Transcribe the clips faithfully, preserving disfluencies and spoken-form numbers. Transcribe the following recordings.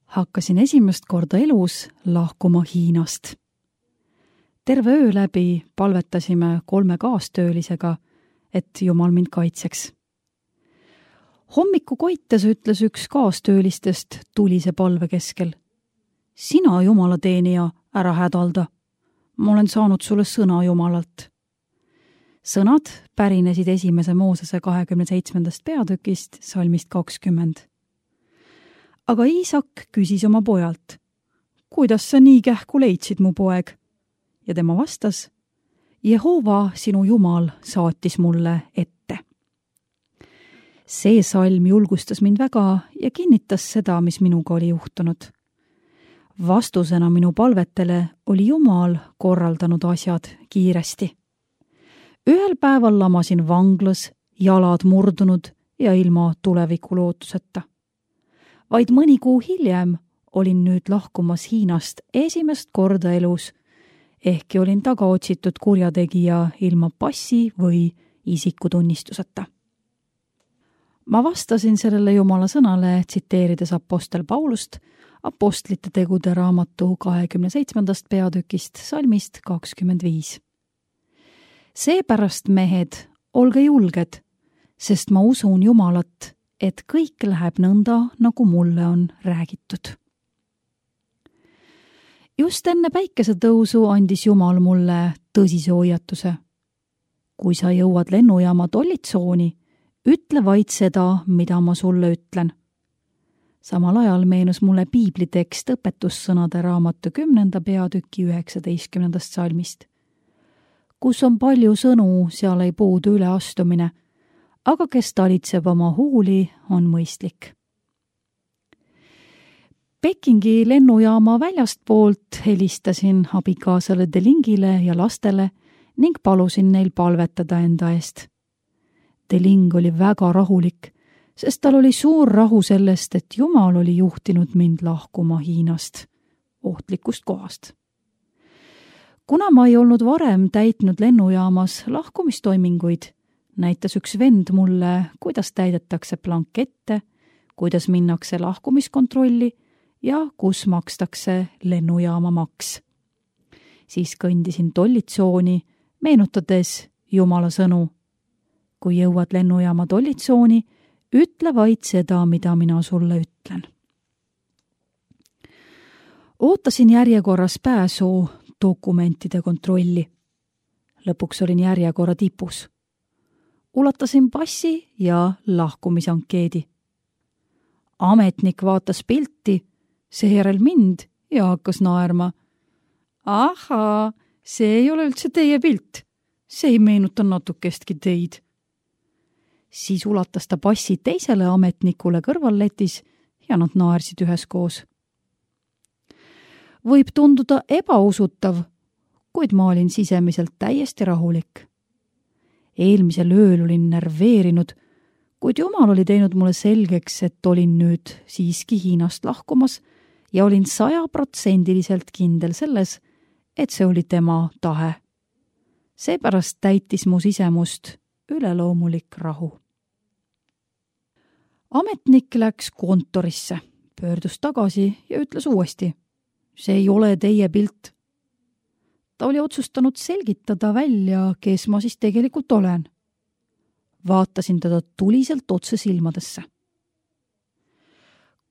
Hakkasin esimest korda elus lahkuma Hiinast. Terve öö läbi palvetasime kolme kaastöölisega, et Jumal mind kaitseks. Hommiku koites ütles üks kaastöölistest tulise palve keskel. Sina, Jumala teenija, ära hädalda. Ma olen saanud sulle sõna Jumalalt. Sõnad pärinesid esimese Moosese kahekümne seitsmendast peatükist, salmist kakskümmend. Aga Iisak küsis oma pojalt, kuidas sa nii kähku leidsid, mu poeg? Ja tema vastas, Jehova, sinu Jumal, saatis mulle ette. See salm julgustas mind väga ja kinnitas seda, mis minuga oli juhtunud. Vastusena minu palvetele oli Jumal korraldanud asjad kiiresti. Ühel päeval lamasin vanglas, jalad murdunud ja ilma tuleviku lootuseta. Vaid mõni kuu hiljem olin nüüd lahkumas Hiinast esimest korda elus, ehkki olin tagaotsitud kurjategija ilma passi või isikutunnistuseta. Ma vastasin sellele Jumala sõnale, tsiteerides apostel Paulust, apostlite tegude raamatu kahekümne seitsmendast peatükist, salmist kakskümmend viis. Seepärast, mehed, olge julged, sest ma usun Jumalat, et kõik läheb nõnda, nagu mulle on räägitud. Just enne päikesetõusu andis Jumal mulle tõsise hoiatuse. Kui sa jõuad lennujaama tollitsooni, ütle vaid seda, mida ma sulle ütlen. Samal ajal meenus mulle piiblitekst õpetussõnade raamatu kümnenda peatüki üheksateistkümnendast salmist. Kus on palju sõnu, seal ei puudu üleastumine, aga kes talitseb oma huuli, on mõistlik. Pekingi lennujaama väljastpoolt helistasin abikaasale Delingile ja lastele ning palusin neil palvetada enda eest. Deling oli väga rahulik, sest tal oli suur rahu sellest, et Jumal oli juhtinud mind lahkuma Hiinast, ohtlikust kohast. Kuna ma ei olnud varem täitnud lennujaamas lahkumistoiminguid, näitas üks vend mulle, kuidas täidetakse blankette, kuidas minnakse lahkumiskontrolli ja kus makstakse lennujaama maks. Siis kõndisin tollitsooni, meenutades Jumala sõnu. Kui jõuad lennujaama tollitsooni, ütle vaid seda, mida mina sulle ütlen. Ootasin järjekorras pääsu dokumentide kontrolli. Lõpuks olin järjekorra tipus. Ulatasin passi ja lahkumisankeedi. Ametnik vaatas pilti, seejärel mind ja hakkas naerma. Ahaa, see ei ole üldse teie pilt. See ei meenuta natukestki teid. Siis ulatas ta passi teisele ametnikule kõrvalletis ja nad naersid üheskoos. Võib tunduda ebausutav, kuid ma olin sisemiselt täiesti rahulik. Eelmisel ööl olin nerveerinud, kuid Jumal oli teinud mulle selgeks, et olin nüüd siiski Hiinast lahkumas ja olin sajaprotsendiliselt kindel selles, et see oli tema tahe. Seepärast täitis mu sisemust üleloomulik rahu. Ametnik läks kontorisse, pöördus tagasi ja ütles uuesti, see ei ole teie pilt. Ta oli otsustanud selgitada välja, kes ma siis tegelikult olen. Vaatasin teda tuliselt otse silmadesse.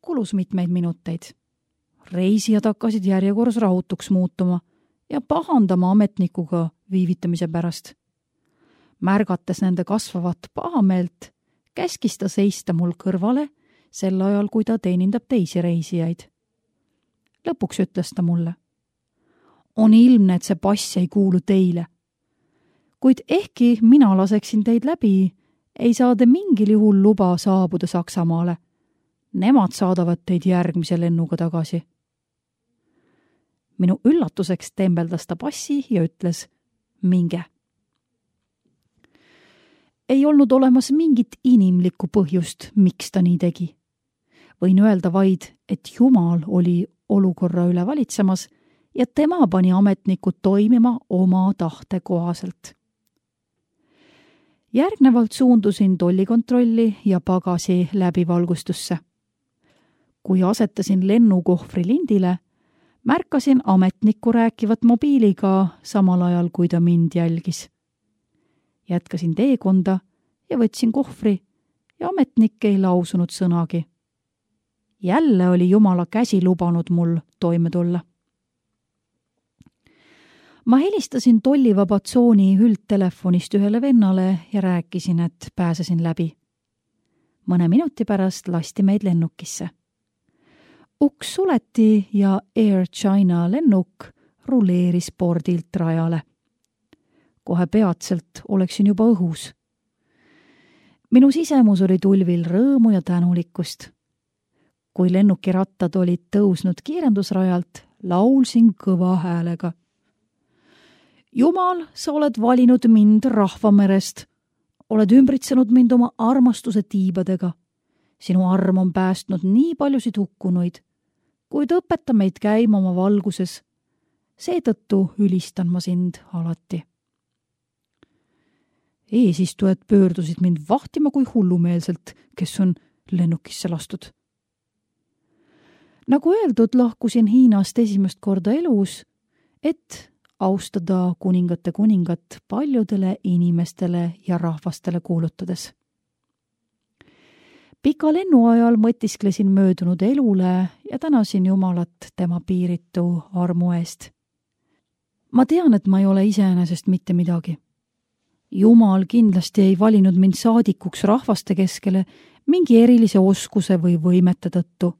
Kulus mitmeid minuteid. Reisijad hakkasid järjekorras rahutuks muutuma ja pahandama ametnikuga viivitamise pärast. Märgates nende kasvavat pahameelt, käskis ta seista mul kõrvale sel ajal, kui ta teenindab teisi reisijaid. Lõpuks ütles ta mulle. On ilmne, et see pass ei kuulu teile. Kuid ehkki mina laseksin teid läbi, ei saa te mingil juhul luba saabuda Saksamaale. Nemad saadavad teid järgmise lennuga tagasi. Minu üllatuseks tembeldas ta passi ja ütles, minge. Ei olnud olemas mingit inimlikku põhjust, miks ta nii tegi. Võin öelda vaid, et Jumal oli olukorra üle valitsemas ja tema pani ametnikud toimima oma tahte kohaselt. Järgnevalt suundusin tollikontrolli ja pagasi läbivalgustusse. kui asetasin lennukohvri lindile, märkasin ametnikku rääkivat mobiiliga samal ajal, kui ta mind jälgis. Jätkasin teekonda ja võtsin kohvri ja ametnik ei lausunud sõnagi. Jälle oli Jumala käsi lubanud mul toime tulla. Ma helistasin tollivaba tsooni üldtelefonist ühele vennale ja rääkisin, et pääsesin läbi. Mõne minuti pärast lasti meid lennukisse. Uks suleti ja Air China lennuk rulleeris pordilt rajale. Kohe peatselt oleksin juba õhus. Minu sisemus oli tulvil rõõmu ja tänulikkust. Kui lennuki rattad olid tõusnud kiirendusrajalt, laulsin kõva häälega. Jumal, sa oled valinud mind rahvamerest. Oled ümbritsenud mind oma armastuse tiibadega. Sinu arm on päästnud nii paljusid hukkunuid, kuid õpeta meid käima oma valguses. Seetõttu ülistan ma sind alati. Eesistujad pöördusid mind vahtima kui hullumeelselt, kes on lennukisse lastud. Nagu öeldud, lahkusin Hiinast esimest korda elus, et austada kuningate kuningat paljudele inimestele ja rahvastele kuulutades. Pika lennu ajal mõtisklesin möödunud elule ja tänasin Jumalat tema piiritu armu eest. Ma tean, et ma ei ole iseenesest mitte midagi. Jumal kindlasti ei valinud mind saadikuks rahvaste keskele mingi erilise oskuse või võimete tõttu.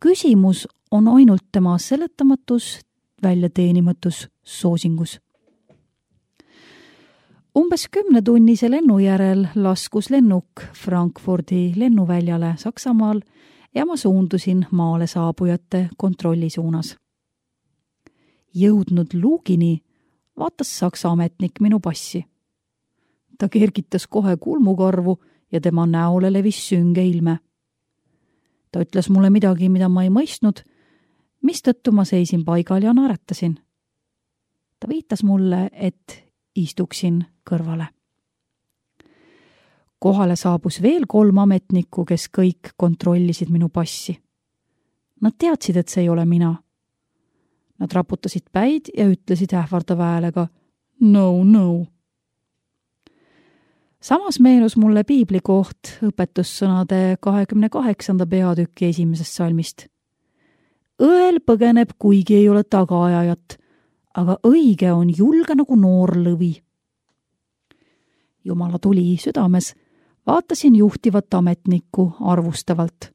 Küsimus on ainult tema seletamatus, väljateenimatus soosingus. Umbes kümnetunnise lennu järel laskus lennuk Frankfurdi lennuväljale Saksamaal ja ma suundusin maale saabujate kontrolli suunas. Jõudnud luugini vaatas Saksa ametnik minu passi. Ta kergitas kohe kulmukarvu ja tema näole levis sünge ilme. Ta ütles mulle midagi, mida ma ei mõistnud, mistõttu ma seisin paigal ja naeratasin. Ta viitas mulle, et istuksin kõrvale. Kohale saabus veel kolm ametnikku, kes kõik kontrollisid minu passi. Nad teadsid, et see ei ole mina. Nad raputasid päid ja ütlesid ähvardava häälega no, no. Samas meenus mulle piibli koht õpetussõnade kahekümne kaheksanda peatüki esimesest salmist. Õel põgeneb, kuigi ei ole tagaajajat, aga õige on julge nagu noor lõvi. Jumala tuli südames, vaatasin juhtivat ametnikku arvustavalt.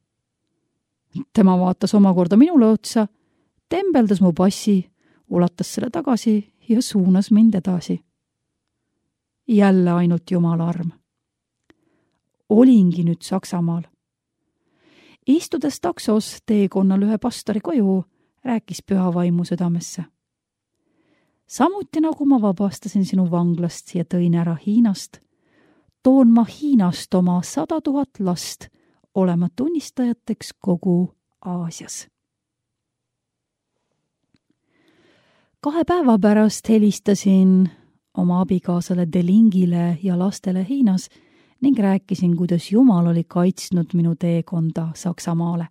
Tema vaatas omakorda minule otsa, tembeldas mu passi, ulatas selle tagasi ja suunas mind edasi. Jälle ainult Jumala arm. Olingi nüüd Saksamaal. Istudes taksos teekonnal ühe pastori koju, rääkis püha vaimu südamesse. Samuti nagu ma vabastasin sinu vanglast ja tõin ära Hiinast, toon ma Hiinast oma sada tuhat last olema tunnistajateks kogu Aasias. Kahe päeva pärast helistasin oma abikaasale Delingile ja lastele Hiinas ning rääkisin, kuidas Jumal oli kaitsnud minu teekonda Saksamaale.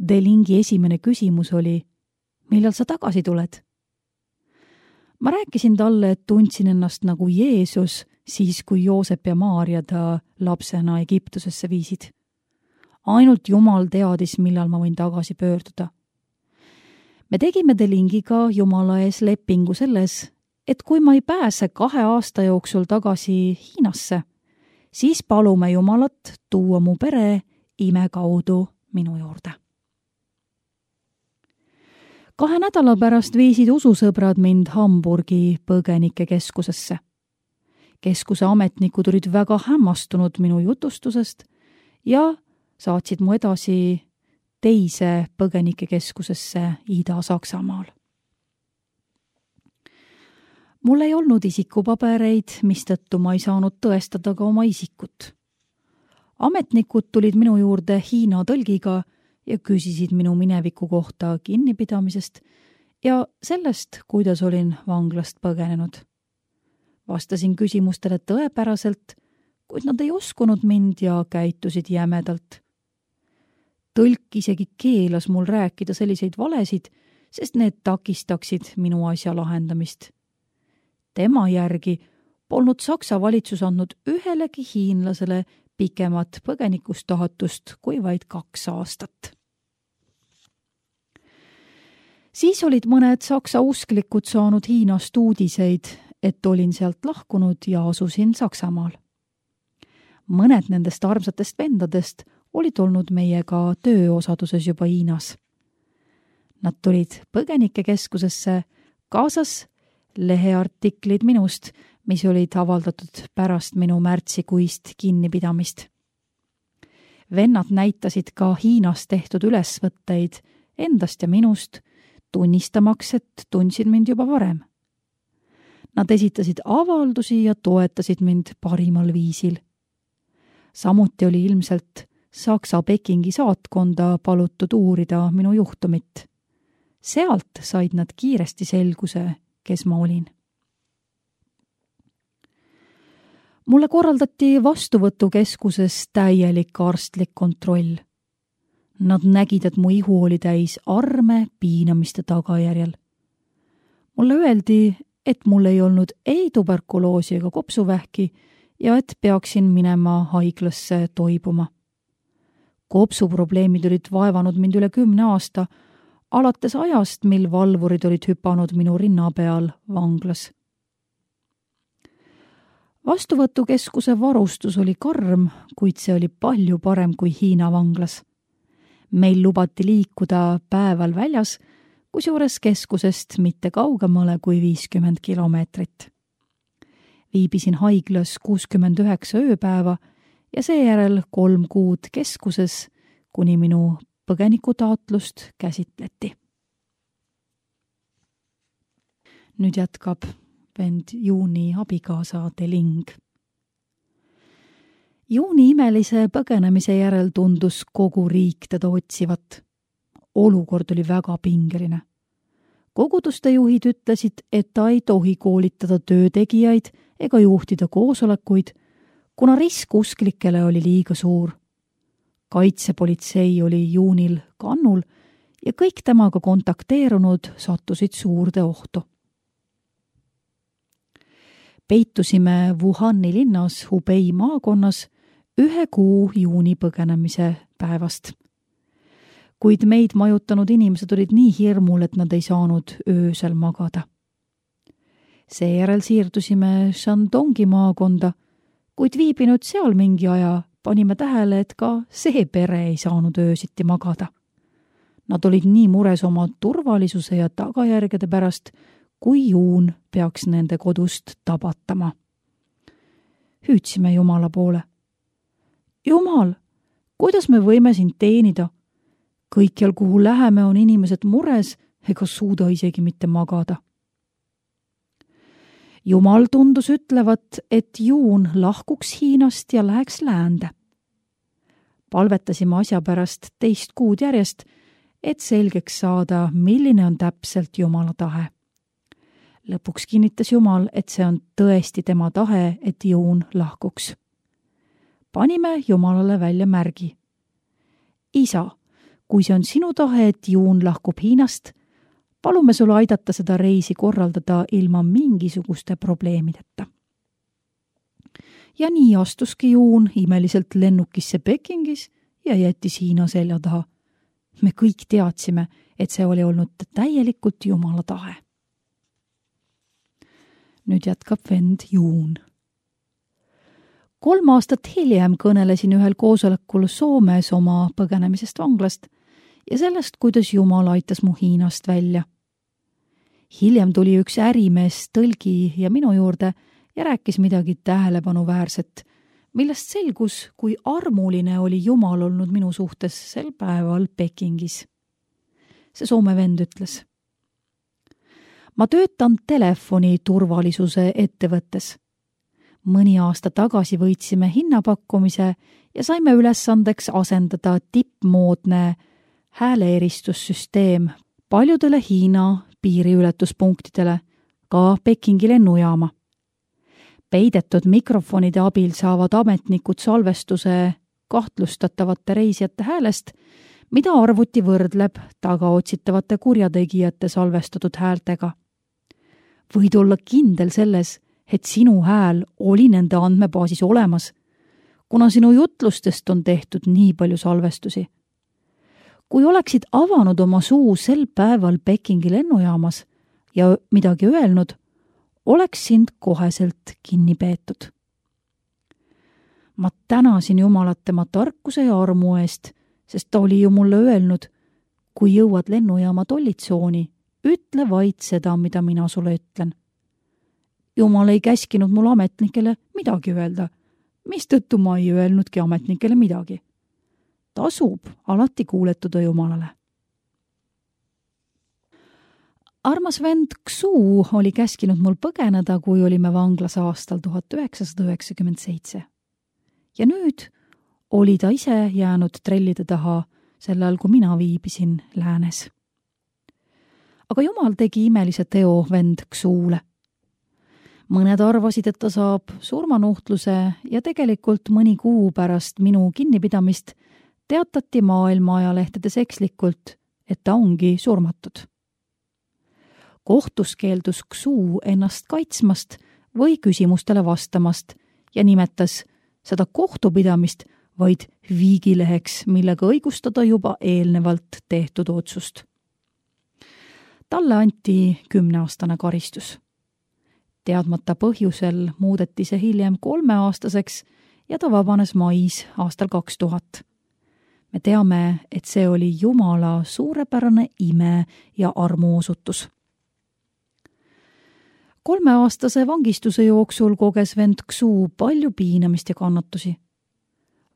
Delingi esimene küsimus oli, millal sa tagasi tuled? Ma rääkisin talle, et tundsin ennast nagu Jeesus siis, kui Joosep ja Maaria ta lapsena Egiptusesse viisid. Ainult Jumal teadis, millal ma võin tagasi pöörduda. Me tegime Delingiga Jumala ees lepingu selles, et kui ma ei pääse kahe aasta jooksul tagasi Hiinasse, siis palume Jumalat tuua mu pere ime kaudu minu juurde. Kahe nädala pärast viisid ususõbrad mind Hamburgi põgenikekeskusesse. Keskuse ametnikud olid väga hämmastunud minu jutustusest ja saatsid mu edasi teise põgenikekeskusesse Ida-Saksamaal. Mul ei olnud isikupabereid, mistõttu ma ei saanud tõestada ka oma isikut. Ametnikud tulid minu juurde Hiina tõlgiga ja küsisid minu mineviku kohta kinnipidamisest ja sellest, kuidas olin vanglast põgenenud. Vastasin küsimustele tõepäraselt, kuid nad ei uskunud mind ja käitusid jämedalt. tõlk isegi keelas mul rääkida selliseid valesid, sest need takistaksid minu asja lahendamist. Tema järgi polnud Saksa valitsus andnud ühelegi hiinlasele pikemat põgenikustaatust kui vaid kaks aastat. Siis olid mõned saksa usklikud saanud Hiinast uudiseid, et olin sealt lahkunud ja asusin Saksamaal. Mõned nendest armsatest vendadest olid olnud meiega tööosaduses juba Hiinas. Nad tulid põgenikekeskusesse, kaasas leheartiklid minust, mis olid avaldatud pärast minu märtsikuist kinnipidamist. Vennad näitasid ka Hiinas tehtud ülesvõtteid endast ja minust, tunnistamaks, et tundsid mind juba varem. Nad esitasid avaldusi ja toetasid mind parimal viisil. Samuti oli ilmselt Saksa Pekingi saatkonda palutud uurida minu juhtumit. Sealt said nad kiiresti selguse, kes ma olin. Mulle korraldati vastuvõtukeskuses täielik arstlik kontroll. Nad nägid, et mu ihu oli täis arme piinamiste tagajärjel. Mulle öeldi, et mul ei olnud ei tuberkuloosi ega kopsuvähki ja et peaksin minema haiglasse toibuma. Kopsuprobleemid olid vaevanud mind üle kümne aasta, alates ajast, mil valvurid olid hüpanud minu rinna peal vanglas. Vastuvõtukeskuse varustus oli karm, kuid see oli palju parem kui Hiina vanglas. Meil lubati liikuda päeval väljas, kusjuures keskusest mitte kaugemale kui viiskümmend kilomeetrit. Viibisin haiglas kuuskümmend üheksa ööpäeva ja seejärel kolm kuud keskuses, kuni minu põgenikutaotlust käsitleti. Nüüd jätkab vend Juuni abikaasa Deling. Juuni imelise põgenemise järel tundus kogu riik teda otsivat. Olukord oli väga pingeline. Koguduste juhid ütlesid, et ta ei tohi koolitada töötegijaid ega juhtida koosolekuid, kuna risk usklikele oli liiga suur. Kaitsepolitsei oli Juunil kannul ja kõik temaga kontakteerunud sattusid suurde ohtu. Peitusime Wuhani linnas Hubei maakonnas ühe kuu Juuni põgenemise päevast. Kuid meid majutanud inimesed olid nii hirmul, et nad ei saanud öösel magada. Seejärel siirdusime Shandongi maakonda, kuid viibinud seal mingi aja panime tähele, et ka see pere ei saanud öösiti magada. Nad olid nii mures oma turvalisuse ja tagajärgede pärast, kui Juun peaks nende kodust tabatama. Hüüdsime Jumala poole. Jumal, kuidas me võime sind teenida? Kõikjal, kuhu läheme, on inimesed mures ega suuda isegi mitte magada. Jumal tundus ütlevat, et Juun lahkuks Hiinast ja läheks läände. Palvetasime asja pärast teist kuud järjest, et selgeks saada, milline on täpselt Jumala tahe. Lõpuks kinnitas Jumal, et see on tõesti tema tahe, et Juun lahkuks. Panime Jumalale välja märgi. Isa, kui see on sinu tahe, et Juun lahkub Hiinast, palume sul aidata seda reisi korraldada ilma mingisuguste probleemideta. Ja nii astuski Juun imeliselt lennukisse Pekingis ja jättis Hiina selja taha. Me kõik teadsime, et see oli olnud täielikult Jumala tahe. Nüüd jätkab vend Juun. Kolm aastat hiljem kõnelesin ühel koosolekul Soomes oma põgenemisest vanglast ja sellest, kuidas Jumal aitas mu Hiinast välja. Hiljem tuli üks ärimees tõlgi ja minu juurde ja rääkis midagi tähelepanuväärset, millest selgus, kui armuline oli Jumal olnud minu suhtes sel päeval Pekingis. See Soome vend ütles. Ma töötan telefoni turvalisuse ettevõttes. Mõni aasta tagasi võitsime hinnapakkumise ja saime ülesandeks asendada tippmoodne hääleeristussüsteem paljudele Hiina piiriületuspunktidele, ka Pekingi lennujaama. Peidetud mikrofonide abil saavad ametnikud salvestuse kahtlustatavate reisijate häälest, mida arvuti võrdleb tagaotsitavate kurjategijate salvestatud häältega. Võid olla kindel selles, et sinu hääl oli nende andmebaasis olemas, kuna sinu jutlustest on tehtud nii palju salvestusi. Kui oleksid avanud oma suu sel päeval Pekingi lennujaamas ja midagi öelnud, oleks sind koheselt kinni peetud. Ma tänasin Jumalat tema tarkuse ja armu eest, sest ta oli ju mulle öelnud, kui jõuad lennujaama tollitsooni, ütle vaid seda, mida mina sulle ütlen. Jumal ei käskinud mul ametnikele midagi öelda, mistõttu ma ei öelnudki ametnikele midagi. Tasub alati kuuletuda Jumalale. Armas vend Xu oli käskinud mul põgeneda, kui olime vanglas aastal tuhat üheksasada üheksakümmend seitse. Ja nüüd oli ta ise jäänud trellide taha sel ajal, kui mina viibisin läänes. Aga Jumal tegi imelise teo vend Xule. Mõned arvasid, et ta saab surmanuhtluse ja tegelikult mõni kuu pärast minu kinnipidamist teatati maailma ajalehtedes ekslikult, et ta ongi surmatud. Kohtus keeldus Xu ennast kaitsmast või küsimustele vastamast ja nimetas seda kohtupidamist vaid viigileheks, millega õigustada juba eelnevalt tehtud otsust. Talle anti kümneaastane karistus. Teadmata põhjusel muudeti see hiljem kolmeaastaseks ja ta vabanes mais aastal kaks tuhat. Me teame, et see oli Jumala suurepärane ime ja armuosutus. Kolmeaastase vangistuse jooksul koges vend Xu palju piinamist ja kannatusi.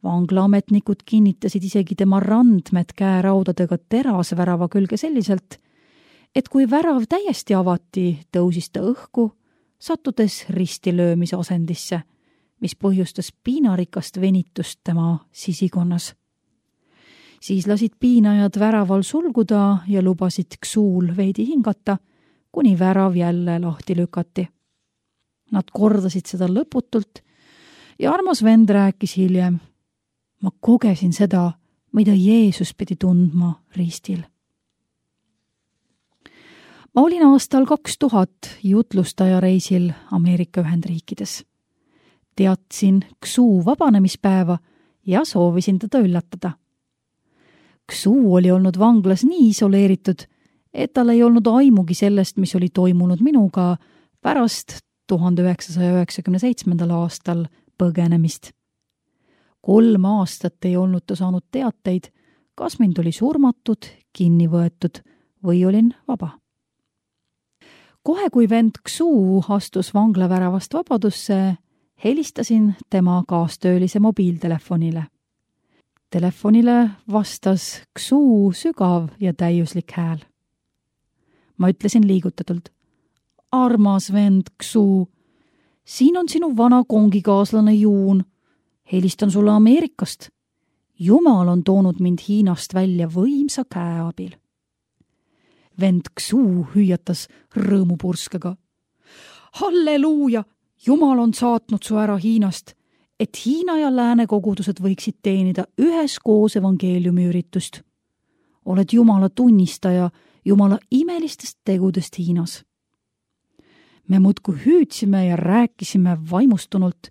Vanglaametnikud kinnitasid isegi tema randmed käeraudadega terasvärava külge selliselt, et kui värav täiesti avati, tõusis ta õhku, sattudes ristilöömise asendisse, mis põhjustas piinarikast venitust tema sisikonnas. Siis lasid piinajad väraval sulguda ja lubasid Xul veidi hingata, kuni värav jälle lahti lükati. Nad kordasid seda lõputult ja armas vend rääkis hiljem. Ma kogesin seda, mida Jeesus pidi tundma ristil. Ma olin aastal kaks tuhat jutlustaja reisil Ameerika Ühendriikides. Teadsin Xu vabanemispäeva ja soovisin teda üllatada. Xu oli olnud vanglas nii isoleeritud, et tal ei olnud aimugi sellest, mis oli toimunud minuga pärast tuhande üheksasaja üheksakümne seitsmendal aastal põgenemist. Kolm aastat ei olnud ta saanud teateid, kas mind oli surmatud, kinni võetud või olin vaba. Kohe kui vend Xu astus vanglaväravast vabadusse, helistasin tema kaastöölise mobiiltelefonile. Telefonile vastas Xu sügav ja täiuslik hääl. Ma ütlesin liigutatult, armas vend Xu, siin on sinu vana kongikaaslane Juun. Helistan sulle Ameerikast. Jumal on toonud mind Hiinast välja võimsa käe abil. Vend Xu hüüatas rõõmupurskega. Halleluuja! Jumal on saatnud su ära Hiinast, et Hiina ja lääne kogudused võiksid teenida üheskoos evangeeliumi üritust. Oled Jumala tunnistaja Jumala imelistest tegudest Hiinas. Me muudkui hüüdsime ja rääkisime vaimustunult,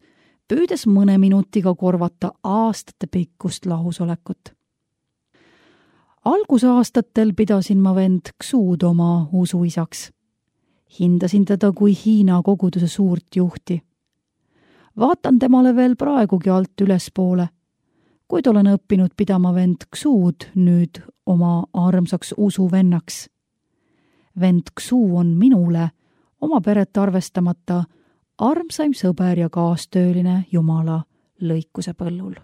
püüdes mõne minutiga korvata aastate pikkust lahusolekut. Algusaastatel pidasin ma vend Xud oma usuisaks. Hindasin teda kui Hiina koguduse suurt juhti. Vaatan temale veel praegugi alt ülespoole, kuid olen õppinud pidama vend Xud nüüd oma armsaks usuvennaks. Vend Xu on minule, oma peret arvestamata, armsaim sõber ja kaastööline Jumala lõikuse põllul.